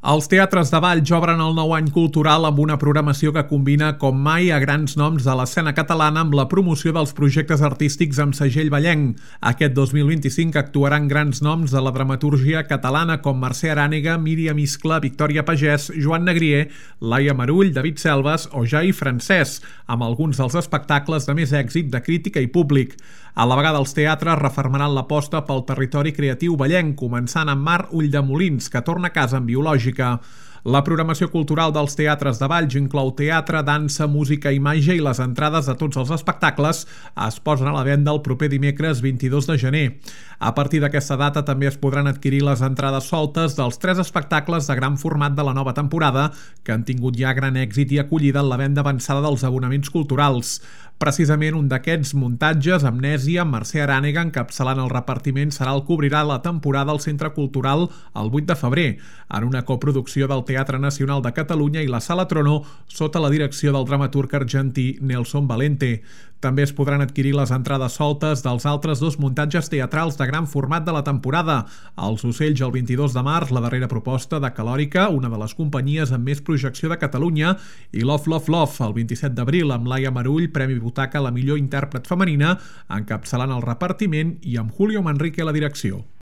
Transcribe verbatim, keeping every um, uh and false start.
Els teatres de Valls obren el nou any cultural amb una programació que combina com mai a grans noms de l'escena catalana amb la promoció dels projectes artístics amb segell vallenc. Aquest dos mil vint-i-cinc actuaran grans noms de la dramatúrgia catalana com Mercè Arànega, Míriam Iscla, Victòria Pagès, Joan Negrier, Laia Marull, David Selves o Jai Francès, amb alguns dels espectacles de més èxit de crítica i públic. A la vegada els teatres refermaran l'aposta pel territori creatiu vallenc, començant amb Mar Ulldemolins, que torna a casa en biològica. La programació cultural dels teatres de Valls inclou teatre, dansa, música i màgia i les entrades de tots els espectacles es posen a la venda el proper dimecres vint-i-dos de gener. A partir d'aquesta data també es podran adquirir les entrades soltes dels tres espectacles de gran format de la nova temporada que han tingut ja gran èxit i acollida en la venda avançada dels abonaments culturals. Precisament un d'aquests muntatges, Amnèsia, amb Mercè Arànega encapçalant el repartiment, serà el que obrirà la temporada al Centre Cultural el vuit de febrer, en una coproducció del Teatre Nacional de Catalunya i la Sala Trono, sota la direcció del dramaturg argentí Nelson Valente. També es podran adquirir les entrades soltes dels altres dos muntatges teatrals de gran format de la temporada. Els Ocells el vint-i-dos de març, la darrera proposta de Calòrica, una de les companyies amb més projecció de Catalunya, i Love, Love, Love, el vint-i-set d'abril, amb Laia Marull, Premi Butaca a la millor intèrpret femenina, encapçalant el repartiment i amb Julio Manrique a la direcció.